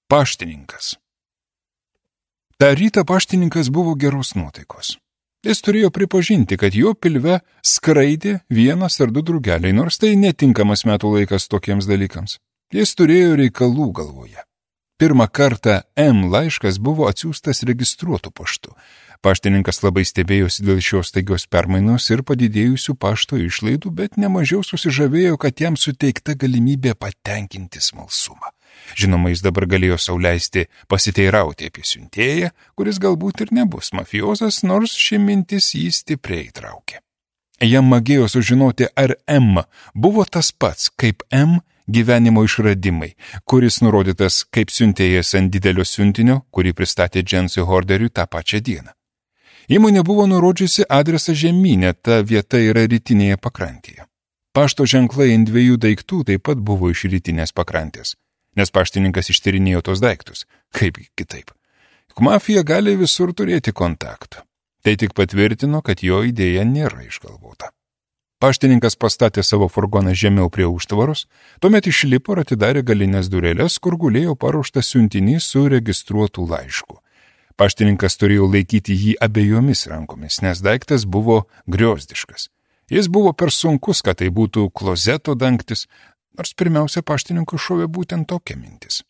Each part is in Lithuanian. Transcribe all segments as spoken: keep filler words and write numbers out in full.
Paštininkas. Ta rytą paštininkas buvo geros nuotaikos. Jis turėjo pripažinti, kad jo pilve skraidė vienas ar du drugeliai, nors tai netinkamas metų laikas tokiems dalykams. Jis turėjo reikalų galvoje. Pirmą kartą M laiškas buvo atsiųstas registruotu paštu. Paštininkas labai stebėjosi dėl šios staigios permainos ir padidėjusių pašto išlaidų, bet nemažiau susižavėjo, kad jam suteikta galimybė patenkinti smalsumą. Žinoma, jis dabar galėjo sau leisti pasiteirauti apie siuntėją, kuris galbūt ir nebus mafiozas, nors ši mintis jį stipriai įtraukė. Jam magėjo sužinoti, ar M buvo tas pats, kaip M gyvenimo išradimai, kuris nurodytas kaip siuntėjas ant didelio siuntinio, kurį pristatė Džensui Horderiui tą pačią dieną. Įmonė buvo nurodžiusi adresą žemynę, ta vieta yra rytinėje pakrantėje. Pašto ženklai ant dviejų daiktų taip pat buvo iš rytinės pakrantės, nes paštininkas ištyrinėjo tos daiktus. Kaip kitaip? Juk mafija gali visur turėti kontaktų. Tai tik patvirtino, kad jo idėja nėra išgalvota. Paštininkas pastatė savo furgoną žemiau prie užtvaros, tuomet išlipo ir atidarė galinės durelės, kur gulėjo paruoštas siuntinys su registruotu laišku. Paštininkas turėjo laikyti jį abiejomis rankomis, nes daiktas buvo griozdiškas. Jis buvo per sunkus, kad tai būtų klozeto dangtis, nors pirmiausia paštininkui šovė būtent tokia mintis.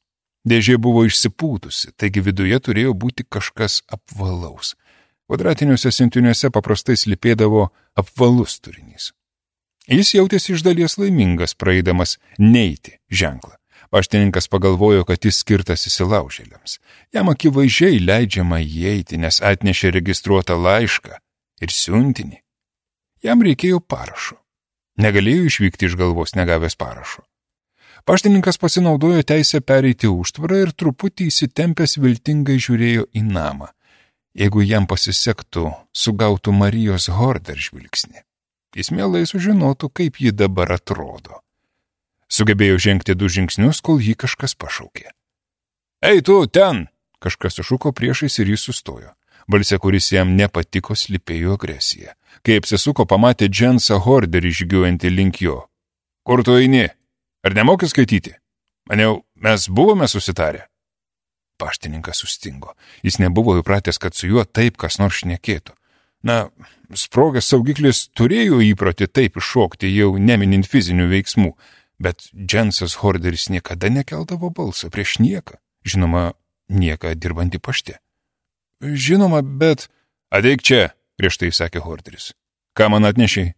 Dėžė buvo išsipūtusi, taigi viduje turėjo būti kažkas apvalaus. Kvadratiniuose siuntiniuose paprastai slypėdavo apvalus turinys. Jis jautėsi iš dalies laimingas, praeidamas neiti ženklą. Paštininkas pagalvojo, kad jis skirtas įsilaužėliams. Jam akivaizdžiai leidžiama įeiti, nes atnešė registruotą laišką ir siuntinį. Jam reikėjo parašo. Negalėjo išvykti iš galvos negavęs parašo. Paštininkas pasinaudojo teisę pereiti užtvarą ir truputį įsitempęs viltingai žiūrėjo į namą. Jeigu jam pasisektų, sugautų Marijos Horder žvilgsnį. Jis mielai sužinotų, kaip ji dabar atrodo. Sugebėjo žengti du žingsnius, kol jį kažkas pašaukė. Ei, tu, ten! Kažkas sušuko priešais ir jis sustojo. Balse, kuris jam nepatiko, slypėjo agresija. Kai apsisuko, pamatė Džensą Horderį žygiuojantį link jo. Kur tu eini? Ar nemoki skaityti? Maniau, mes buvome susitarę. Paštininkas sustingo. Jis nebuvo įpratęs, kad su juo taip kas nors šnekėtų. Na, sprogęs saugiklis turėjo įprotį taip iššokti, jau neminint fizinių veiksmų, bet Džensas Horderis niekada nekeldavo balsą prieš nieką. Žinoma, nieką dirbantį pašte. Žinoma, bet... Ateik čia, griežtai sakė Horderis. Ką man atnešiai?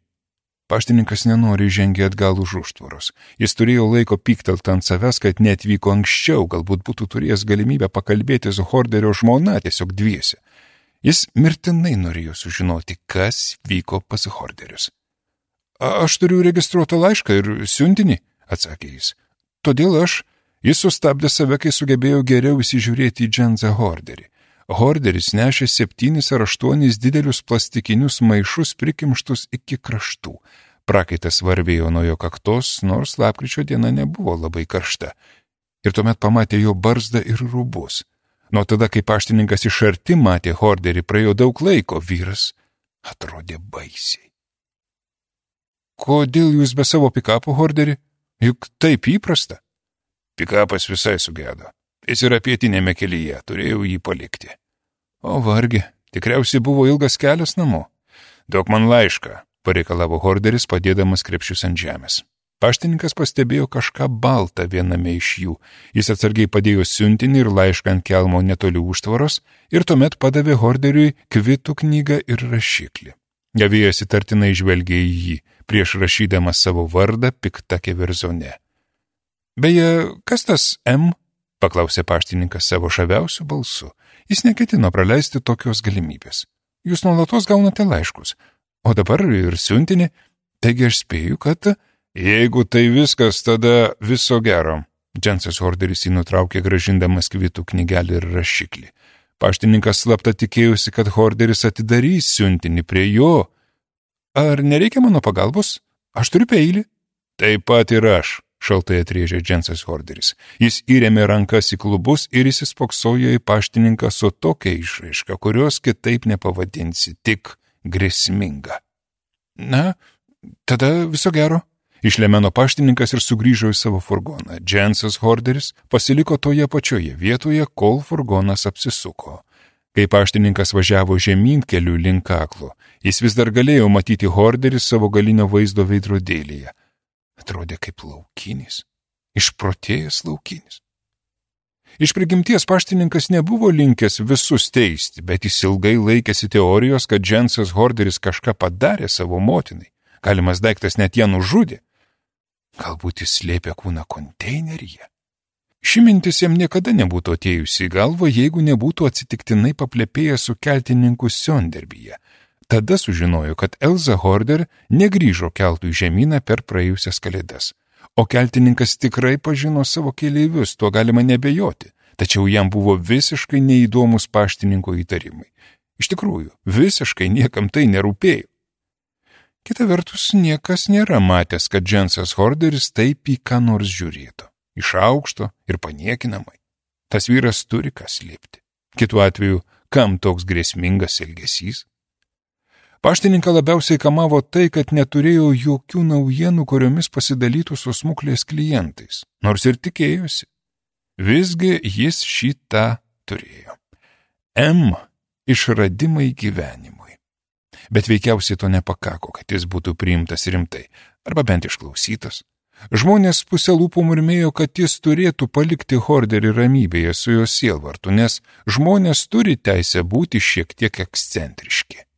Paštininkas nenori žengė atgal už užtvaros. Jis turėjo laiko pyktelt ant savęs, kad neatvyko anksčiau, galbūt būtų turėjęs galimybę pakalbėti su Horderio žmona tiesiog dviese. Jis mirtinai norėjo sužinoti, kas vyko pas Horderius. Aš turiu registruotą laišką ir siuntinį, atsakė jis. Todėl aš, jis sustabdė save, kai sugebėjo geriau įsižiūrėti į Džensą Horderį. Horderis nešė septynis ar aštuonis didelius plastikinius maišus prikimštus iki kraštų. Prakaitas varvėjo nuo jo kaktos, nors lapkričio diena nebuvo labai karšta. Ir tuomet pamatė jo barzdą ir rūbus. Nuo tada, kai paštininkas iš arti matė Horderį, praėjo daug laiko, vyras atrodė baisiai. Kodėl jūs be savo pikapo, Horderį? Juk taip įprasta. Pikapas visai sugedo. Jis yra pietinėme kelyje, turėjau jį palikti. O vargi, tikriausiai buvo ilgas kelias namo. Duok man laišką, pareikalavo Horderis, padėdamas krepšius ant žemės. Paštininkas pastebėjo kažką baltą viename iš jų. Jis atsargiai padėjo siuntinį ir laišką ant kelmo netoli užtvaros ir tuomet padavė Horderiui kvitų knygą ir rašiklį. Gavėjas įtartinai žvelgė į jį, prieš rašydamas savo vardą pikta keverzone. Beje, kas tas M? Paklausė paštininkas savo žaviausiu balsu. Jis neketino praleisti tokios galimybės. Jūs nuolatos gaunate laiškus, o dabar ir siuntinį, taigi aš spėju, kad... Jeigu tai viskas, tada viso gero. Džensas Horderis jį nutraukė grąžindamas kvitų knygelį ir rašiklį. Paštininkas slapta tikėjusi, kad Horderis atidarys siuntinį prie jo. Ar nereikia mano pagalbos? Aš turiu peilį. Taip pat ir aš, šaltai atrėžė Džensas Horderis. Jis įrėmė rankas į klubus ir įsispoksojo į paštininką su tokia išraiška, kurios kitaip nepavadinsi, tik grėsminga. Na, tada viso gero. Išlemeno paštininkas ir sugrįžo į savo furgoną. Džensas Horderis pasiliko toje pačioje vietoje, kol furgonas apsisuko. Kai paštininkas važiavo žemyn keliu link kaklo, jis vis dar galėjo matyti Horderį savo galinio vaizdo veidrodėlyje. Atrodė kaip laukinis, išprotėjęs laukinis. Iš prigimties paštininkas nebuvo linkęs visus teisti, bet jis ilgai laikėsi teorijos, kad Džensas Horderis kažką padarė savo motinai. Galimas daiktas net ją nužudė. Galbūt jis slėpė kūną konteineryje. Ši mintis jam niekada nebūtų atėjusi į galvą, jeigu nebūtų atsitiktinai paplepėjęs su keltininku Sonderbyje. Tada sužinojo, kad Elza Horder negrįžo keltų į žemyną per praėjusias kalėdas. O keltininkas tikrai pažino savo keleivius, tuo galima nebejoti, tačiau jam buvo visiškai neįdomus paštininko įtarimai. Iš tikrųjų, visiškai niekam tai nerūpėjo. Kita vertus, niekas nėra matęs, kad Džensas Horderis taip į ką nors žiūrėtų, iš aukšto ir paniekinamai. Tas vyras turi ką slėpti. Kitu atveju, kam toks grėsmingas elgesys? Paštininką labiausiai kamavo tai, kad neturėjo jokių naujienų, kuriomis pasidalytų su smuklės klientais, nors ir tikėjosi. Visgi jis šitą turėjo. M. Išradimai gyvenimui. Bet veikiausiai to nepakako, kad jis būtų priimtas rimtai, arba bent išklausytas. Žmonės pusė lūpų murmėjo, kad jis turėtų palikti Horderį ramybėje su jo sielvartu, nes žmonės turi teisę būti šiek tiek ekscentriški.